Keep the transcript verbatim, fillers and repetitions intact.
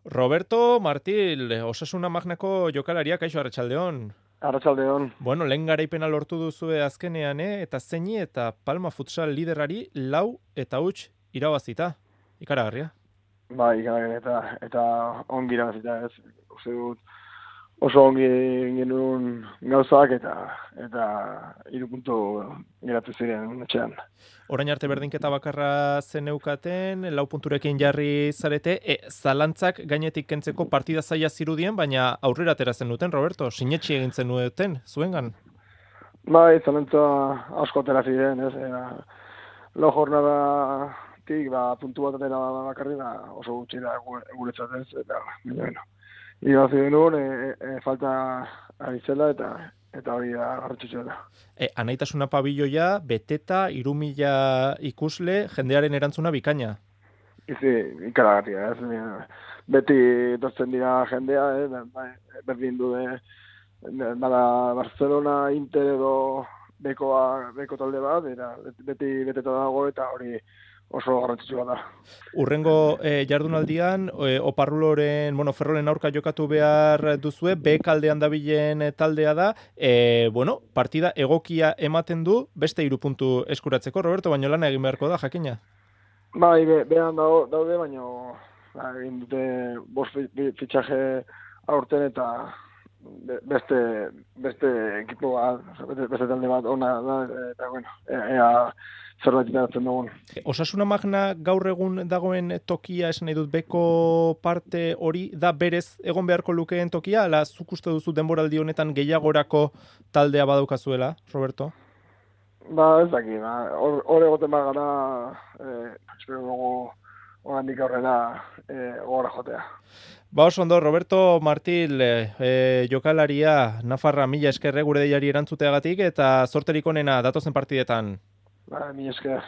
Roberto Martil, Osasuna Magnako jokalaria, kaixo arratsaldeon. Arratsaldeon. Bueno, lehen garaipena lortu duzue azkenean, eh? Eta zeini eta Palma Futsal liderari lau eta huts irabazita. Ikaragarria. Bai, ikaragarria eta eta ongi irabazita, ez. Uste dut oso ongi genuen gauzak eta eta hiru puntu geratu ziren etxean. Orain arte berdinketa bakarra zeneukaten, lau punturekin jarri zarete, e, zalantzak gainetik kentzeko partida zaila zirudien, baina aurrera atera zenuten, Roberto, sinetxi egin zenuten, zuengan? Bai, zalantza asko atera ziren, ez. Era, lau jornadatik, ba, puntu bat atera bakarri, da oso gutxi da guretzat, ez. Eta, baina, bueno, irabazi genuen, e, e, falta ari zela eta eta hori da garrantzitsua da. E, anaitasuna pabiloia, beteta, irumila ikusle, jendearen erantzuna bikaina. Izi, ikaragarria, ez. Beti etortzen dira jendea, eh, berdin du de, bada Barcelona, Inter edo bekoa, beko talde bat, eta beti beteta dago eta hori oso garrantzitsua da. Urrengo eh, jardunaldian, eh, Oparruloren, bueno, Ferrolen aurka jokatu behar duzue, B kaldean dabilen taldea da, eh, bueno, partida egokia ematen du, beste hiru puntu eskuratzeko, Roberto, baino lana egin beharko da, jakina. Bai, be, behan daude, baina ba, egin dute bost fitxaje aurten eta beste beste ekipo bat, beste, beste talde bat ona da, eta bueno, ea zerbait iratzen dugun. Osasuna Magna gaur egun dagoen tokia, esan nahi dut, beko parte hori da berez egon beharko lukeen tokia, ala zuk uste duzu denboraldi honetan gehiagorako taldea badaukazuela, Roberto? Ba, ez daki, ba, hor egoten bat gara, eh, espero dugu orandik aurrera eh, gora jotea. Ba, oso ondo, Roberto Martil, eh, jokalaria, Nafarra, mila eskerre gure deiari erantzuteagatik, eta zorterik onena datozen partidetan. Ba, mila esker.